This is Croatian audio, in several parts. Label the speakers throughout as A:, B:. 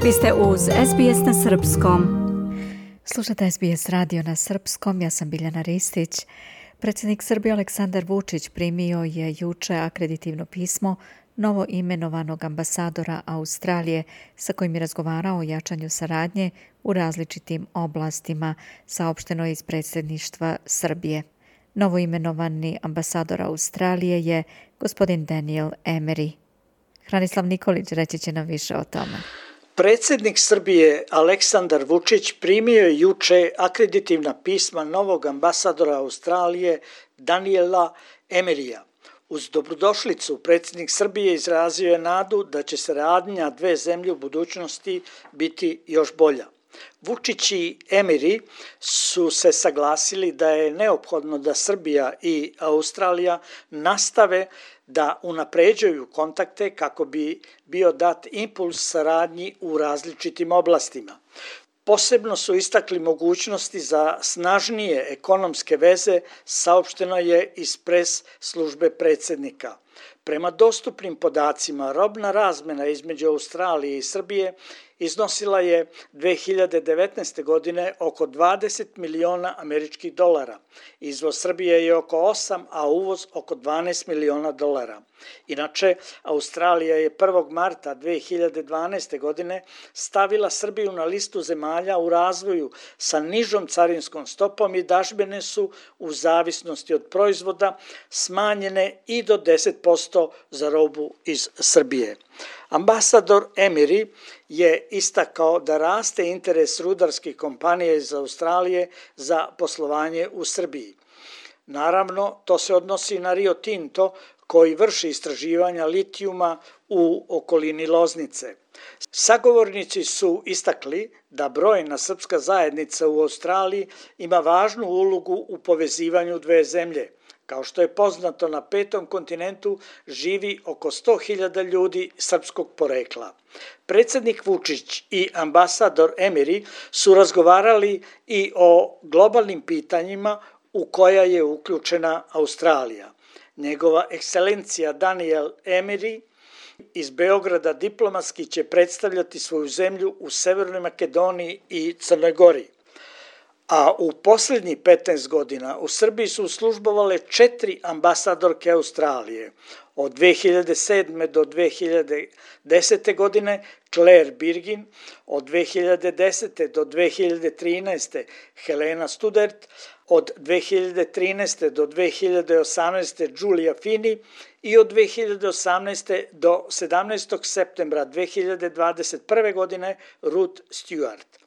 A: Vi ste uz SBS na srpskom. Slušate SBS radio na srpskom, ja sam Biljana Ristić. Predsjednik Srbije Aleksandar Vučić primio je juče akreditivno pismo novo imenovanog ambasadora Australije sa kojim je razgovarao o jačanju saradnje u različitim oblastima, saopšteno iz predsjedništva Srbije. Novo imenovani ambasador Australije je gospodin Daniel Emery. Hranislav Nikolić reći će nam više o tome.
B: Predsjednik Srbije Aleksandar Vučić primio je juče akreditivna pisma novog ambasadora Australije Daniela Emeryja. Uz dobrodošlicu predsjednik Srbije izrazio je nadu da će saradnja dve zemlje u budućnosti biti još bolja. Vučić i Emery su se saglasili da je neophodno da Srbija i Australija nastave da unapređuju kontakte kako bi bio dat impuls saradnji u različitim oblastima. Posebno su istakli mogućnosti za snažnije ekonomske veze, saopšteno je iz pres službe predsjednika. Prema dostupnim podacima, robna razmena između Australije i Srbije iznosila je 2019. godine oko 20 miliona američkih dolara. Izvoz Srbije je oko 8, a uvoz oko 12 miliona dolara. Inače, Australija je 1. marta 2012. godine stavila Srbiju na listu zemalja u razvoju sa nižom carinskom stopom i dažbine su u zavisnosti od proizvoda smanjene i do 10% za robu iz Srbije. Ambasador Emery je istakao da raste interes rudarskih kompanija iz Australije za poslovanje u Srbiji. Naravno, to se odnosi na Rio Tinto koji vrši istraživanja litijuma u okolini Loznice. Sagovornici su istakli da brojna srpska zajednica u Australiji ima važnu ulogu u povezivanju dve zemlje. Kao što je poznato, na 5. kontinentu živi oko 100.000 ljudi srpskog porekla. Predsjednik Vučić i ambasador Emery su razgovarali i o globalnim pitanjima u koja je uključena Australija. Njegova ekscelencija Daniel Emery iz Beograda diplomatski će predstavljati svoju zemlju u Severnoj Makedoniji i Crnoj Gori. A u posljednjih 15 godina u Srbiji su službovale 4 ambasadorke Australije. Od 2007. do 2010. godine Claire Birgin, od 2010. do 2013. Helena Studert, od 2013. do 2018. Giulia Fini i od 2018. do 17. septembra 2021. godine Ruth Stewart.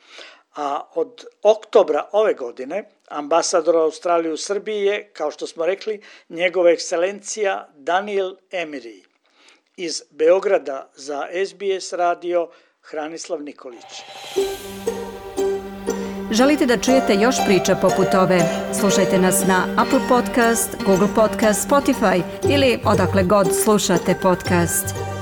B: A od oktobra ove godine ambasador Australije u Srbiji je, kao što smo rekli, njegova ekscelencija Daniel Emery. Iz Beograda za SBS radio Hranislav Nikolić.
A: Želite da čujete još priča poput ove? Slušajte nas na Apple Podcast, Google Podcast, Spotify ili odakle god slušate podcast.